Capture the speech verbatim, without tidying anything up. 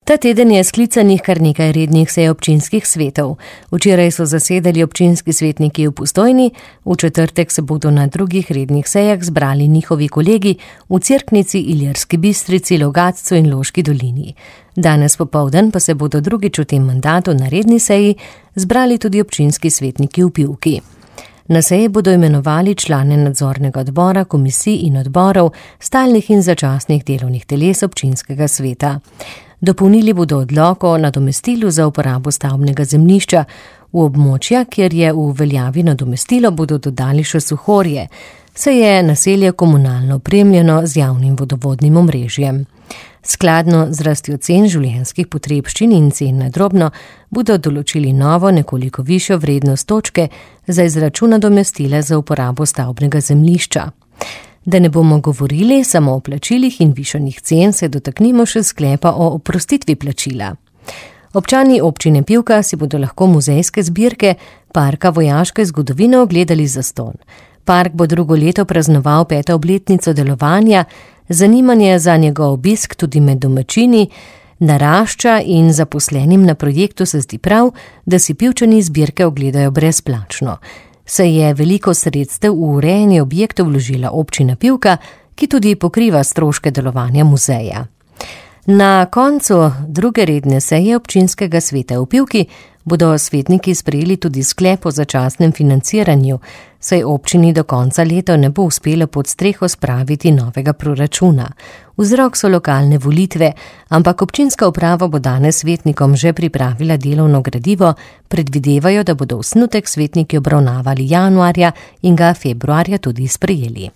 Ta teden je sklicanih kar nekaj rednih sej občinskih svetov. Včeraj so zasedali občinski svetniki v Postojni, v četrtek se bodo na drugih rednih sejah zbrali njihovi kolegi v Cerknici, Ilirski Bistrici, Logatcu in Loški dolini. Danes popoldan pa se bodo drugič v tem mandatu na redni seji zbrali tudi občinski svetniki v Pivki. Na seji bodo imenovali člane nadzornega odbora, komisij in odborov, stalnih in začasnih delovnih teles občinskega sveta. Dopolnili bodo odlok o nadomestilu za uporabo stavbnega zemljišča. V območja, kjer je v veljavi nadomestilo, bodo dodali še Suhorje, saj je naselje komunalno opremljeno z javnim vodovodnim omrežjem. Skladno z rastjo cen življenjskih potrebščin in cen na drobno bodo določili novo, nekoliko višjo vrednost točke za izračun nadomestila za uporabo stavbnega zemljišča. Da ne bomo govorili samo o plačilih in višanih cen, se dotaknimo še sklepa o oprostitvi plačila. Občani občine Pivka si bodo lahko muzejske zbirke Parka vojaške zgodovine ogledali zastonj. Park bo drugo leto praznoval peto obletnico delovanja, zanimanje za njegov obisk tudi med domačini narašča in zaposlenim na projektu se zdi prav, da si Pivčani zbirke ogledajo brezplačno. Se je veliko sredstev v urejanje objektov vložila občina Pivka, ki tudi pokriva stroške delovanja muzeja. Na koncu druge redne seje občinskega sveta v Pivki bodo svetniki sprejeli tudi sklep o začasnem financiranju, saj občini do konca leta ne bo uspelo pod streho spraviti novega proračuna. Vzrok so lokalne volitve, ampak občinska uprava bo danes svetnikom že pripravila delovno gradivo, predvidevajo, da bodo osnutek svetniki obravnavali januarja in ga februarja tudi sprejeli.